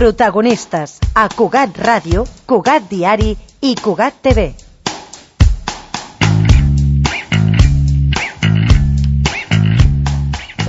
Protagonistes a Cugat Ràdio, Cugat Diari i Cugat TV.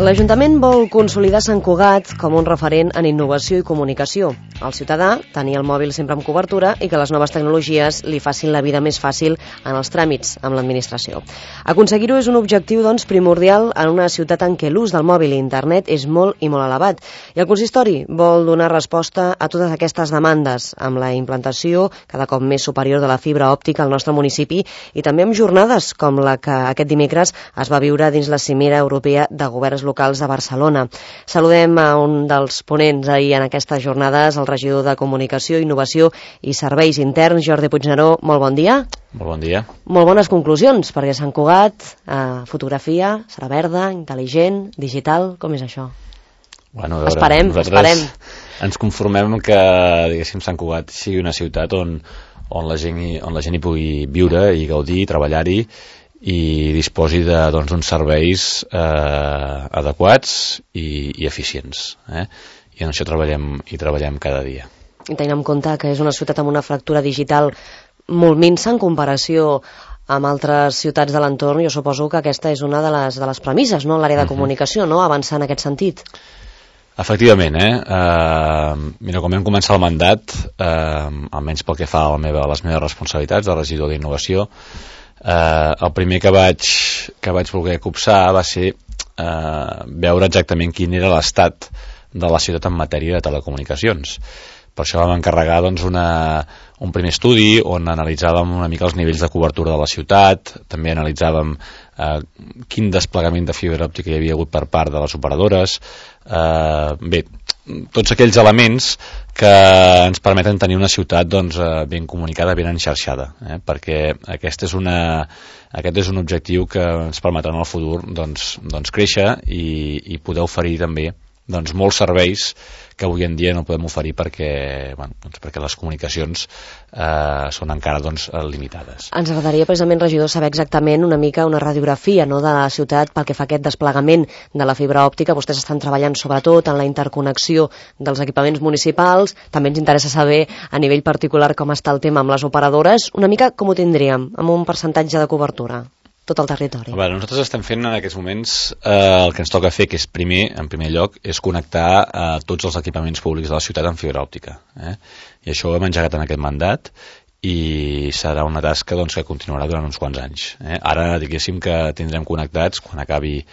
L'Ajuntament vol consolidar Sant Cugat com un referent en innovació i comunicació. El ciutadà tenir el mòbil sempre amb cobertura i que les noves tecnologies li facin la vida més fàcil en els tràmits amb l'administració. Aconseguir-ho és un objectiu, doncs, primordial en una ciutat en què l'ús del mòbil i internet és molt i molt elevat. I el consistori vol donar resposta a totes aquestes demandes amb la implantació cada cop més superior de la fibra òptica al nostre municipi i també amb jornades com la que aquest dimecres es va viure dins la Cimera Europea de Governs Locals de Barcelona. Saludem a un dels ponents ahir en aquestes jornades, el regidor de Comunicació, Innovació i Serveis Interns, Jordi Puigneró. Molt bon dia. Molt bon dia. Molt bones conclusions, perquè Sant Cugat, fotografia, serà verda, intel·ligent, digital, com és això? Bueno, a veure, esperem. Ens conformem que, diguéssim, Sant Cugat sigui una ciutat on la gent hi pugui viure i gaudir, treballar-hi i disposi d'uns serveis adequats i eficients. I en això treballem cada dia. I tenint en compte que és una ciutat amb una fractura digital molt minsa en comparació amb altres ciutats de l'entorn, jo suposo que aquesta és una de les premisses, no?, en l'àrea de comunicació, no?, avançar en aquest sentit. Efectivament, Mira, quan vam començar el mandat, almenys pel que fa a les meves responsabilitats de regidor d'innovació, el primer que vaig voler copsar va ser veure exactament quin era l'estat de la ciutat en matèria de telecomunicacions. Per això vam encarregar un primer estudi on analitzàvem una mica els nivells de cobertura de la ciutat, també analitzàvem quin desplegament de fibra òptica hi havia hagut per part de les operadores, tots aquells elements que ens permeten tenir una ciutat ben comunicada, ben enxarxada, perquè aquest és un objectiu que ens permetrà en el futur créixer i poder oferir també molts serveis que avui en dia no podem oferir perquè les comunicacions són encara limitades. Ens agradaria precisament, regidor, saber exactament una mica una radiografia, no?, de la ciutat pel que fa a aquest desplegament de la fibra òptica. Vostès estan treballant sobretot en la interconnexió dels equipaments municipals. També ens interessa saber a nivell particular com està el tema amb les operadores. Una mica com ho tindríem, amb un percentatge de cobertura? Tot el territori. Nosaltres estem fent en aquests moments el que ens toca fer, que és en primer lloc, és connectar tots els equipaments públics de la ciutat amb fibra òptica. I això ho hem engegat en aquest mandat i serà una tasca que continuarà durant uns quants anys. Ara, diguéssim que tindrem connectats, quan acabi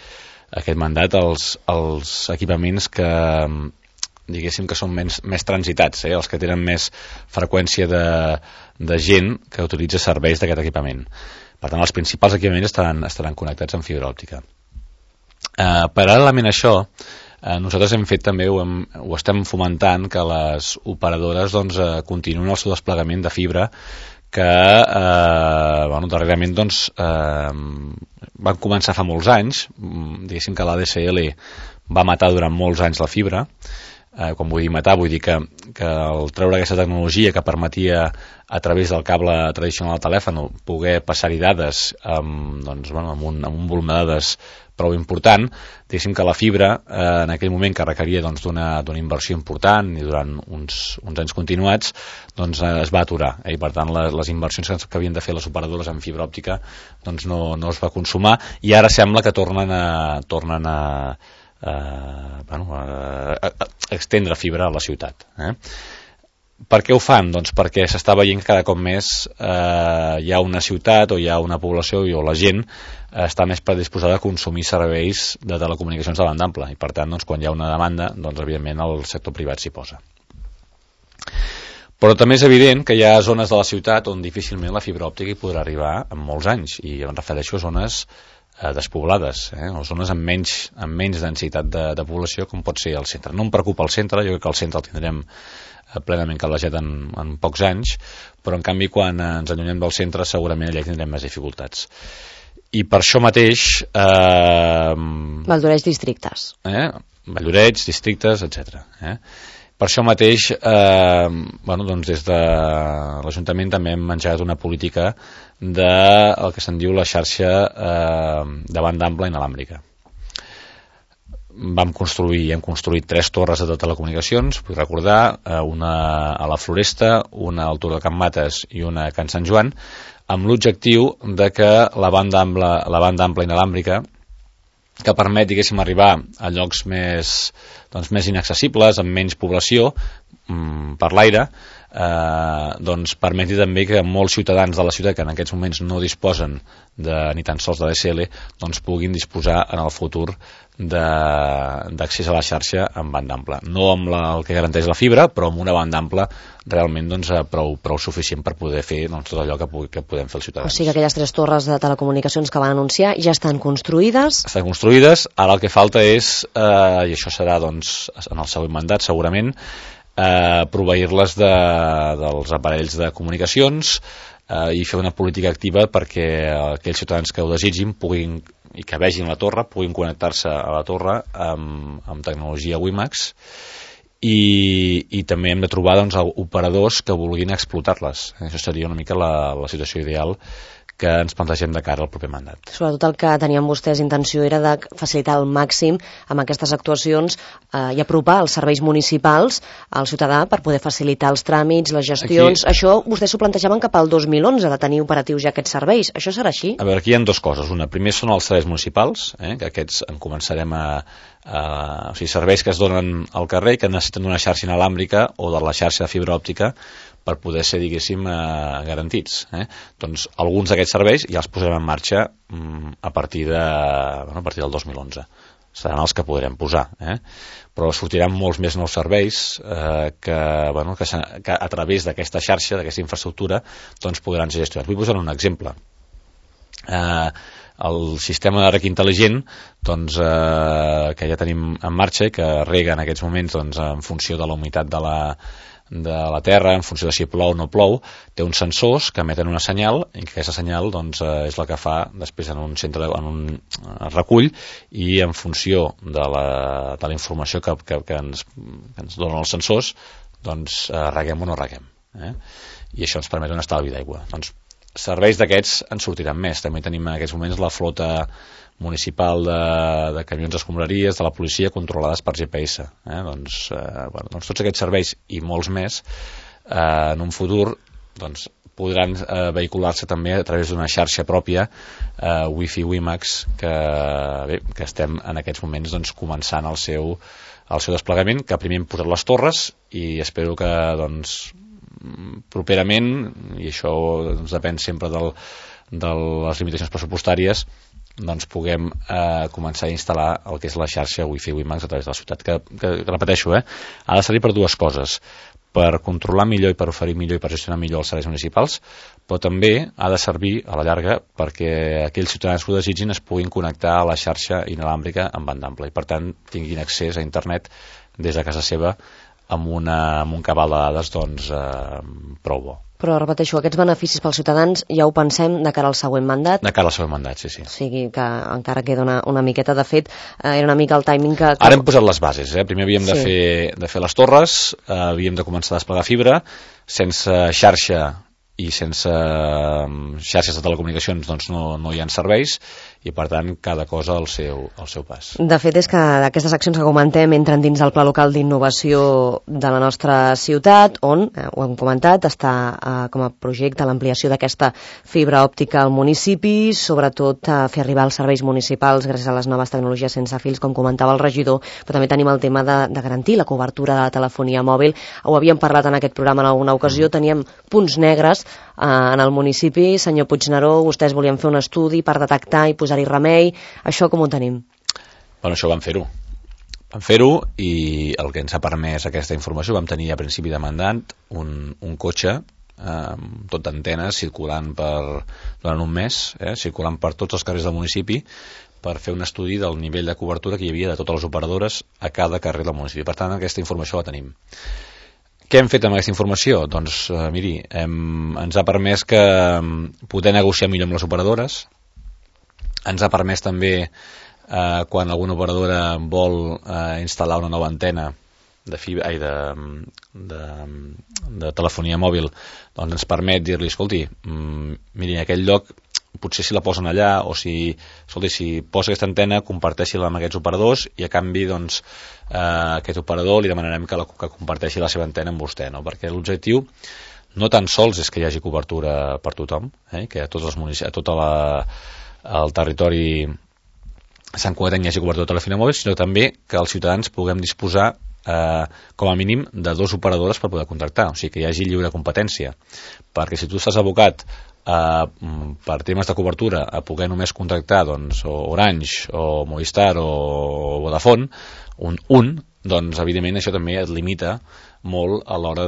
aquest mandat, els equipaments que diguéssim que són més transitats, els que tenen més freqüència de gent que utilitza serveis d'aquest equipament. Per tant, els principals equipaments estaran connectats amb fibra òptica. Paral·lelament a això, nosaltres hem fet també, ho estem fomentant, que les operadores continuïn el seu desplegament de fibra que darrerament van començar fa molts anys. Diguéssim que l'ADSL va matar durant molts anys la fibra. Quan vull dir matar, vull dir que al treure aquesta tecnologia que permetia a través del cable tradicional del telèfon poder passar-hi dades amb un volum de dades prou important, diguéssim que la fibra en aquell moment que requeria d'una inversió important i durant uns anys continuats es va aturar, i per tant les inversions que havien de fer les operadores en fibra òptica no es va consumar, i ara sembla que tornen a extendre fibra a la ciutat. Per què ho fan? Perquè s'està veient que cada cop més hi ha una ciutat o hi ha una població o la gent està més predisposada a consumir serveis de telecomunicacions de banda ampla, i per tant quan hi ha una demanda, evidentment el sector privat s'hi posa. Però també és evident que hi ha zones de la ciutat on difícilment la fibra òptica hi podrà arribar en molts anys, i em refereixo a zones despoblades, o zones amb menys densitat de població, com pot ser el centre. No em preocupa el centre, jo crec que el centre el tindrem plenament calejat en pocs anys, però en canvi quan ens allunyem del centre segurament allà tindrem més dificultats. I per això mateix Valldoreix districtes. Valldoreix, districtes, etc. Per això mateix des de l'Ajuntament també hem engegat una política del que se'n diu la xarxa de banda ampla inalàmbrica. hem construït 3 torres de telecomunicacions, vull recordar, una a la Floresta, una al Turó de Can Mates i una a Can Sant Joan, amb l'objectiu de que la banda ampla inalàmbrica, que permet, diguéssim, arribar a llocs més inaccessibles, amb menys població, per l'aire, doncs permeti també que molts ciutadans de la ciutat que en aquests moments no disposen ni tan sols de DSL doncs puguin disposar en el futur d'accés a la xarxa amb banda ampla. No amb el que garanteix la fibra, però amb una banda ampla realment prou suficient per poder fer tot allò que podem fer els ciutadans. O sigui que aquelles 3 torres de telecomunicacions que van anunciar ja estan construïdes? Estan construïdes, ara el que falta és, i això serà en el següent mandat segurament, proveir-les dels aparells de comunicacions i fer una política activa perquè aquells ciutadans que ho desitgin i que vegin la torre puguin connectar-se a la torre amb tecnologia WiMAX i també hem de trobar operadors que vulguin explotar-les. Això seria una mica la situació ideal que ens plantegem de cara al proper mandat. Sobretot el que tenien vostès intenció era de facilitar al màxim amb aquestes actuacions i apropar els serveis municipals al ciutadà per poder facilitar els tràmits, les gestions. Aquí, això vostès s'ho plantejaven cap al 2011, de tenir operatius ja aquests serveis. Això serà així? A veure, aquí hi ha 2 coses. Una, primer són els serveis municipals, que aquests en començarem o sigui, serveis que es donen al carrer i que necessiten d'una xarxa inalàmbrica o de la xarxa de fibra òptica per poder ser, diguéssim, garantits. Doncs alguns d'aquests serveis ja els posarem en marxa a partir del 2011. Seran els que podrem posar. Però sortiran molts més nous serveis que a través d'aquesta xarxa, d'aquesta infraestructura, doncs podran ser gestionats. Vull posar un exemple. El sistema de reg intel·ligent que ja tenim en marxa i que rega en aquests moments en funció de la humitat de la terra, en funció de si plou o no plou, té uns sensors que emeten una senyal i que aquesta senyal és la que fa després en un recull i en funció de la informació que ens donen els sensors reguem o no reguem. I això ens permet un estalvi d'aigua. Doncs serveis d'aquests en sortiran més. També tenim en aquests moments la flota municipal de camions d'escombraries de la policia controlades per GPS. Doncs tots aquests serveis i molts més en un futur podran vehicular-se també a través d'una xarxa pròpia Wi-Fi WiMAX que estem en aquests moments començant el seu desplegament, que primer hem posat les torres i espero que properament, i això depèn sempre de les limitacions pressupostàries, puguem començar a instal·lar el que és la xarxa Wi-Fi WiMAX a través de la ciutat, que repeteixo, ha de servir per 2 coses: per controlar millor i per oferir millor i per gestionar millor els serveis municipals, però també ha de servir a la llarga perquè aquells ciutadans que ho desitgin es puguin connectar a la xarxa inalàmbrica amb banda ampla i per tant tinguin accés a internet des de casa seva amb un cabal de dades prou bo. Però repeteixo, aquests beneficis pels ciutadans ja ho pensem de cara al següent mandat? De cara al següent mandat, sí. O sigui que encara queda una miqueta. De fet, era una mica el timing que... Ara hem posat les bases. Primer havíem de fer les torres, havíem de començar a desplegar fibra, sense xarxa i sense xarxes de telecomunicacions no hi ha serveis i per tant cada cosa al seu pas. De fet és que aquestes accions que comentem entren dins del Pla Local d'Innovació de la nostra ciutat on, ho hem comentat, està com a projecte l'ampliació d'aquesta fibra òptica al municipi, sobretot fer arribar els serveis municipals gràcies a les noves tecnologies sense fils, com comentava el regidor, però també tenim el tema de garantir la cobertura de la telefonia mòbil. Ho havíem parlat en aquest programa en alguna ocasió, teníem punts negres en el municipi. Senyor Puigneró, vostès volien fer un estudi per detectar i posar-hi remei. Això com ho tenim? Bueno, això vam fer-ho. Vam fer-ho i el que ens ha permès aquesta informació, vam tenir a principi de mandat un cotxe tot d'antenes circulant durant un mes, circulant per tots els carrers del municipi per fer un estudi del nivell de cobertura que hi havia de totes les operadores a cada carrer del municipi. Per tant, aquesta informació la tenim. Què hem fet amb aquesta informació? Doncs, miri, ens ha permès poder negociar millor amb les operadores, ens ha permès també, quan alguna operadora vol instal·lar una nova antena de telefonia mòbil, doncs ens permet dir-li, escolti, miri, en aquell lloc potser si la posen allà, o si posa aquesta antena, comparteixi-la amb aquests operadors, i a canvi, doncs, aquest operador li demanarem que comparteixi la seva antena amb vostè, no? Perquè l'objectiu no tan sols és que hi hagi cobertura per tothom, que a tots els municipis, a tot el territori Sant Cugatenc hi hagi cobertura de telefonia mòbil, sinó també que els ciutadans puguem disposar com a mínim de 2 operadores per poder contractar, o sigui que hi hagi lliure competència, perquè si tu estàs abocat per temes de cobertura a poder només contractar, doncs, o Orange o Movistar o Vodafone, doncs evidentment això també et limita molt a l'hora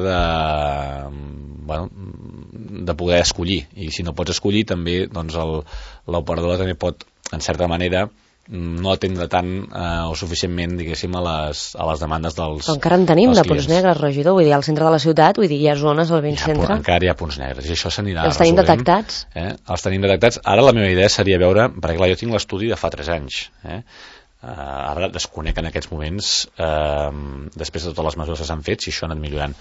de poder escollir, i si no pots escollir també, doncs l'operadora també pot, en certa manera, no atendre tant o suficientment, diguéssim, a les demandes dels clients. Encara en tenim de punts negres, regidor, vull dir, al centre de la ciutat, vull dir, hi ha zones al ben centre. Encara hi ha punts negres, i això s'anirà resolent. Els tenim detectats? Els tenim detectats. Ara la meva idea seria veure, perquè clar, jo tinc l'estudi de fa 3 anys, ara desconec en aquests moments, després de totes les mesures que s'han fet, si això ha anat millorant.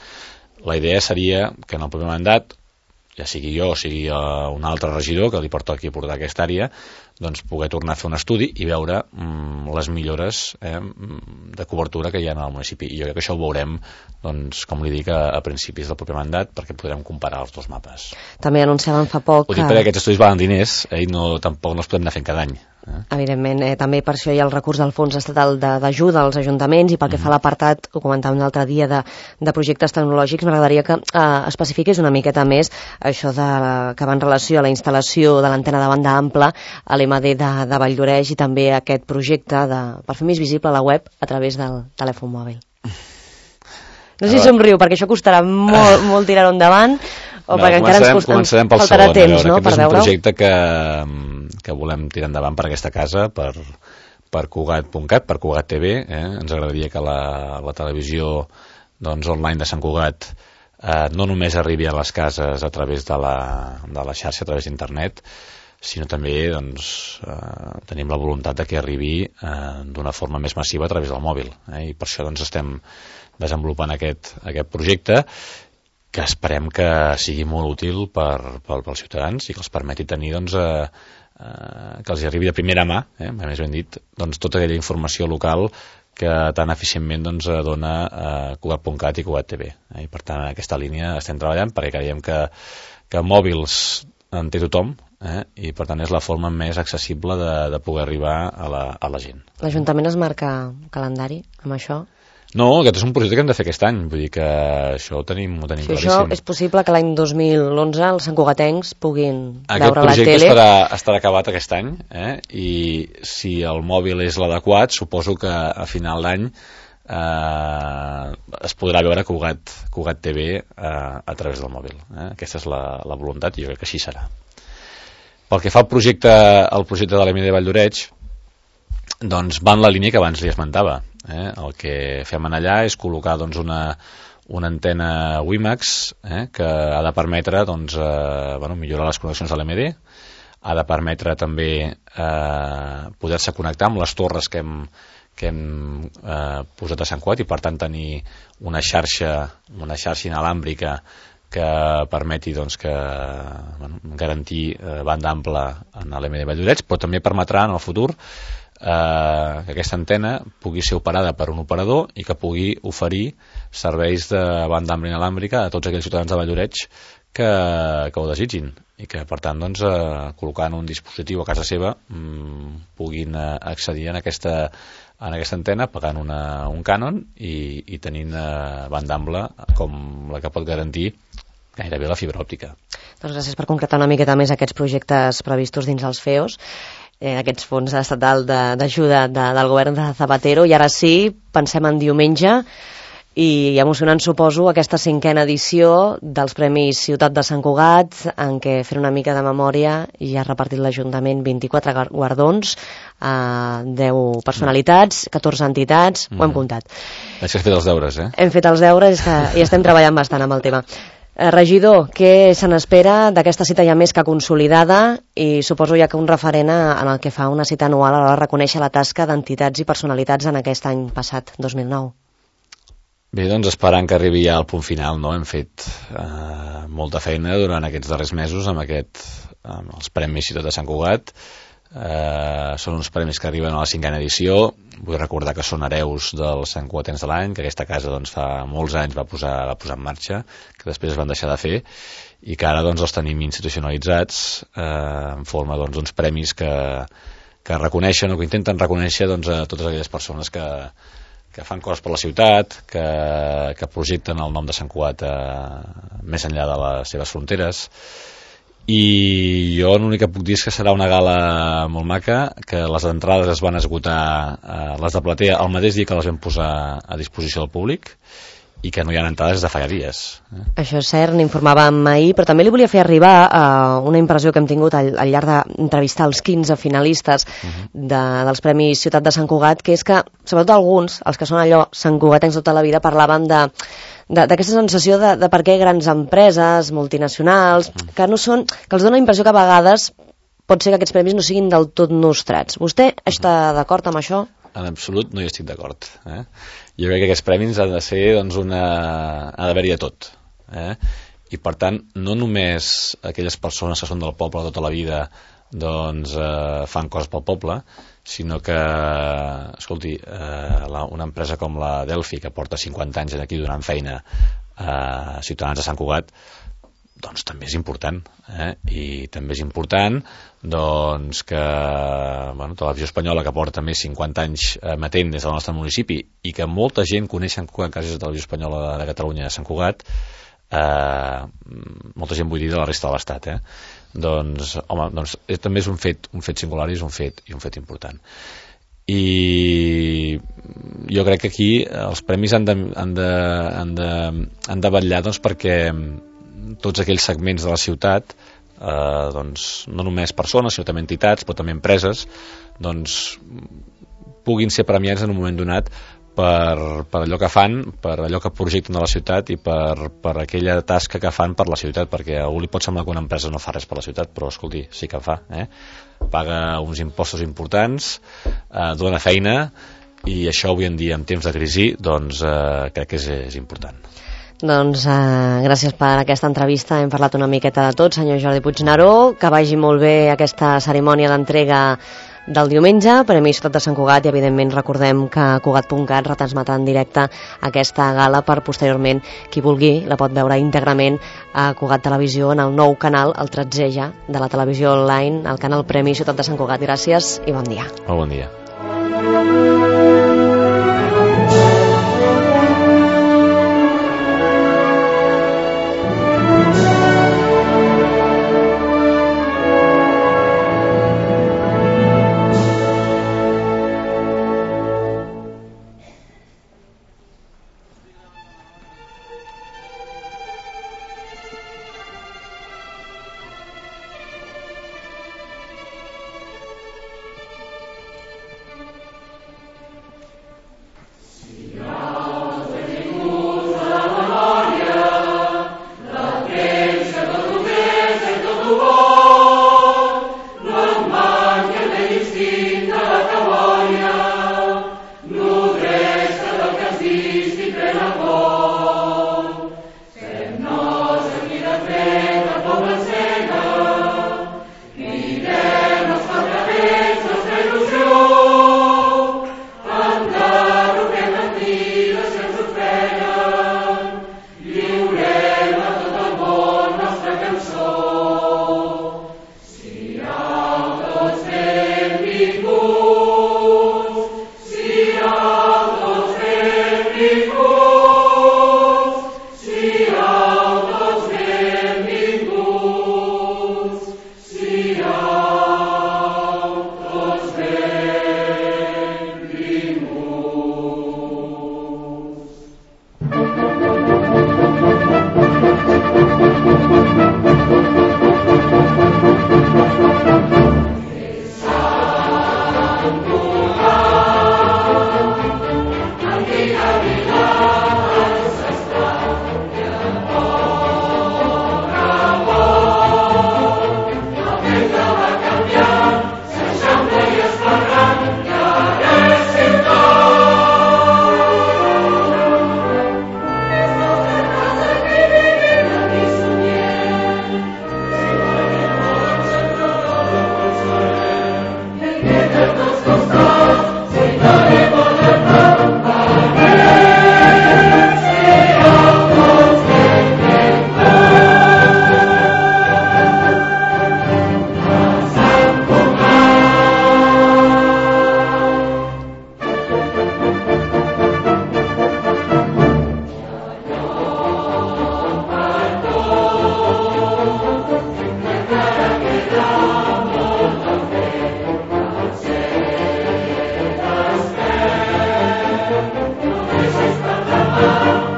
La idea seria que en el proper mandat, ja sigui jo o sigui un altre regidor que li porta aquí a portar aquesta àrea, doncs poder tornar a fer un estudi i veure les millores de cobertura que hi ha en el municipi. I jo crec que això ho veurem, doncs, com li dic, a principis del proper mandat, perquè podrem comparar els 2 mapes. També anunciàvem fa poc... Ho dic perquè aquests estudis valen diners, i tampoc no els podem anar fent cada any. Evidentment, també per això hi ha el recurs del Fons Estatal d'ajuda als ajuntaments, i pel que fa a l'apartat, ho comentàvem un altre dia, de projectes tecnològics, m'agradaria que especifiqués una miqueta més això que va en relació a la instal·lació de l'antena de banda ampla a l'MD de Valldoreix, i també aquest projecte per fer més visible la web a través del telèfon mòbil. No sé si somriu, perquè això costarà molt tirar-ho endavant, o perquè encara ens faltarà temps, no?, per veure-ho. És un projecte que volem tirar endavant per aquesta casa, per Cugat.cat, per Cugat TV. Ens agradaria que la televisió online de Sant Cugat no només arribi a les cases a través de la xarxa, a través d'internet, sinó també tenim la voluntat de que arribi d'una forma més massiva a través del mòbil. I per això estem desenvolupant aquest projecte, que esperem que sigui molt útil pels ciutadans i que els permeti tenir que els arribi de primera mà, més ben dit, tota aquella informació local que tan eficientment dona Cugat.cat i Cugat TV. I per tant, en aquesta línia estem treballant, perquè creiem que mòbils en té tothom, i per tant és la forma més accessible de poder arribar a la gent. L'Ajuntament es marca calendari amb això? No, aquest és un projecte que hem de fer aquest any, vull dir que això ho tenim claríssim. Això és possible que l'any 2011 els santcugatencs puguin veure la tele? Aquest projecte estarà acabat aquest any, i si el mòbil és l'adequat, suposo que a final d'any es podrà veure Cugat TV a través del mòbil. Aquesta és la voluntat, i jo crec que així serà. Pel que fa al projecte de l'EMD de Valldoreix, doncs va en la línia que abans li esmentava. El que fem allà és col·locar una antena WiMAX que ha de permetre millorar les connexions de l'EMD, ha de permetre també poder-se connectar amb les torres que hem posat a Sant Cugat, i per tant tenir una xarxa inalàmbrica que permeti garantir banda ampla en l'EMD de Valldoreix, però també permetrà en el futur que aquesta antena pugui ser operada per un operador i que pugui oferir serveis de banda ampla inalàmbrica a tots aquells ciutadans de Valldoreix que ho desitgin, i que per tant col·locant un dispositiu a casa seva puguin accedir en aquesta antena pagant un cànon i tenint banda ampla com la que pot garantir gairebé la fibra òptica. Doncs gràcies per concretar una miqueta més aquests projectes previstos dins els FEOs, aquests fons estatal d'ajuda del govern de Zapatero. I ara sí, pensem en diumenge, i emocionant, suposo, aquesta 5a edició dels Premis Ciutat de Sant Cugat, en què, fent una mica de memòria, hi ha repartit l'Ajuntament 24 guardons a 10 personalitats, 14 entitats, ho hem comptat. Veig que has fet els deures, Hem fet els deures i estem treballant bastant amb el tema. Regidor, què se n'espera d'aquesta cita ja més que consolidada, i suposo ja que un referent en el que fa una cita anual a l'hora de reconèixer la tasca d'entitats i personalitats en aquest any passat, 2009? Bé, doncs esperant que arribi ja al punt final, no? Hem fet molta feina durant aquests darrers mesos amb aquest els Premis Ciutat de Sant Cugat. Són uns premis que arriben a la 5a edició. Vull recordar que són hereus dels Sant Cugatens de l'any, que aquesta casa doncs, fa molts anys va posar en marxa, que després es van deixar de fer, i que ara doncs, els tenim institucionalitzats en forma d'uns premis que reconeixen o que intenten reconèixer doncs, a totes aquelles persones que fan coses per la ciutat, que projecten el nom de Sant Cugat més enllà de les seves fronteres. I jo l'únic que puc dir és que serà una gala molt maca, que les entrades es van esgotar, les de platea, el mateix dia que les vam posar a disposició del públic, i que no hi ha entrades de fa dies. Això és cert, n'informàvem ahir, però també li volia fer arribar una impressió que hem tingut al llarg d'entrevistar els 15 finalistes dels Premis Ciutat de Sant Cugat, que és que, sobretot alguns, els que són allò santcugatencs tota la vida, parlaven d'aquesta sensació de per què grans empreses, multinacionals, que no són, que els dona la impressió que a vegades pot ser que aquests premis no siguin del tot nostrats. Vostè està d'acord amb això? En absolut no hi estic d'acord. Jo crec que aquests premis han de ser, doncs, ha d'haver-hi de tot. I per tant, no només aquelles persones que són del poble tota la vida doncs fan coses pel poble, sinó que, escolti, una empresa com la Delphi, que porta 50 anys aquí donant feina a ciutadans de Sant Cugat, doncs també és important, i també és important doncs que Televisió Espanyola, que porta més 50 anys emetent des del nostre municipi, i que molta gent coneix Sant Cugat gràcies a Televisió Espanyola de Catalunya de Sant Cugat, molta gent vull dir de la resta de l'Estat, doncs, home, doncs, també és un fet singular i és un fet important. I jo crec que aquí els premis han de vetllar doncs, perquè tots aquells segments de la ciutat, doncs, no només persones sinó també entitats, però també empreses, doncs, puguin ser premiats en un moment donat per allò que fan, per allò que projecten de la ciutat i per aquella tasca que fan per la ciutat, perquè a algú li pot semblar que una empresa no fa res per la ciutat, però escolti, sí que fa, paga uns impostos importants, dona feina, i això avui en dia, en temps de crisi, doncs crec que és important. Doncs gràcies per aquesta entrevista, hem parlat una miqueta de tot, senyor Jordi Puigneró, que vagi molt bé aquesta cerimònia d'entrega del diumenge, Premi Ciutat de Sant Cugat, i evidentment recordem que Cugat.cat retransmetrà en directe aquesta gala per posteriorment, qui vulgui, la pot veure íntegrament a Cugat Televisió en el nou canal, el 13è ja, de la televisió online, el canal Premi Ciutat de Sant Cugat. Gràcies i bon dia. Molt bon dia. Cugat.